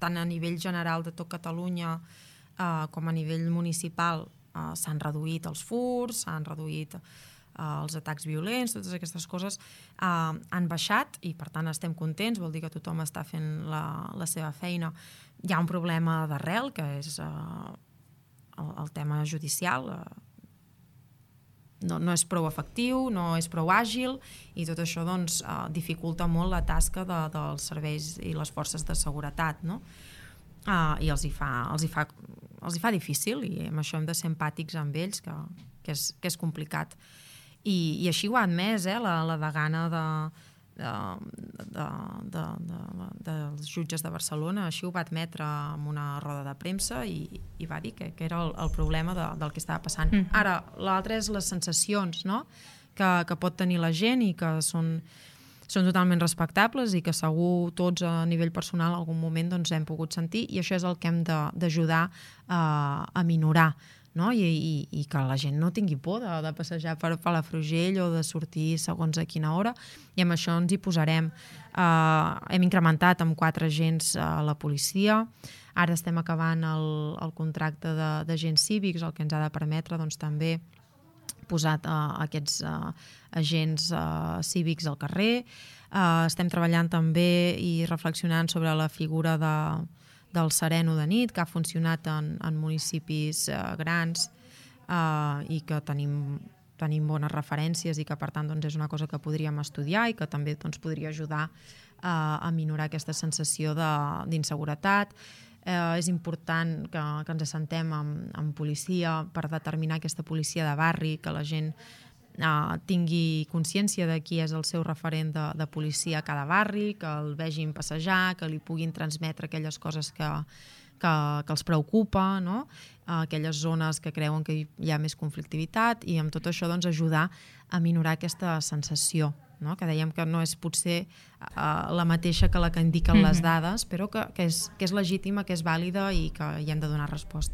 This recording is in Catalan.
tant a nivell general de tot Catalunya com a nivell municipal s'han reduït els furts, s'han reduït els atacs violents, totes aquestes coses han baixat i per tant estem contents, vol dir que tothom està fent la seva feina. Hi ha un problema d'arrel que és el tema judicial, no és prou efectiu, no és prou àgil i tot això doncs, dificulta molt la tasca dels serveis i les forces de seguretat, no? I els hi fa difícil i amb això hem de ser empàtics amb ells, que és complicat. I així ho ha admès la degana dels jutges de Barcelona, així ho va admetre en una roda de premsa i va dir que era el problema del que estava passant. Ara, l'altre és les sensacions, no? que pot tenir la gent i que són totalment respectables i que segur tots a nivell personal en algun moment doncs, hem pogut sentir i això és el que hem d'ajudar a minorar. No? I que la gent no tingui por de passejar per Palafrugell o de sortir segons a quina hora i amb això ens hi posarem. Hem incrementat amb 4 agents a la policia, ara estem acabant el contracte d'agents cívics, el que ens ha de permetre doncs, també posat aquests agents cívics al carrer. Estem treballant també i reflexionant sobre la figura del sereno de nit, que ha funcionat en municipis grans i que tenim bones referències i que per tant doncs, és una cosa que podríem estudiar i que també doncs, podria ajudar a minorar aquesta sensació d'inseguretat. És important que ens assentem amb policia per determinar aquesta policia de barri, que la gent tingui consciència de qui és el seu referent de policia a cada barri, que el vegin passejar, que li puguin transmetre aquelles coses que els preocupa, no? Aquelles zones que creuen que hi ha més conflictivitat i amb tot això doncs, ajudar a minorar aquesta sensació, no? Que dèiem que no és potser la mateixa que la que indiquen les dades, però que és legítima, que és vàlida i que hi hem de donar resposta.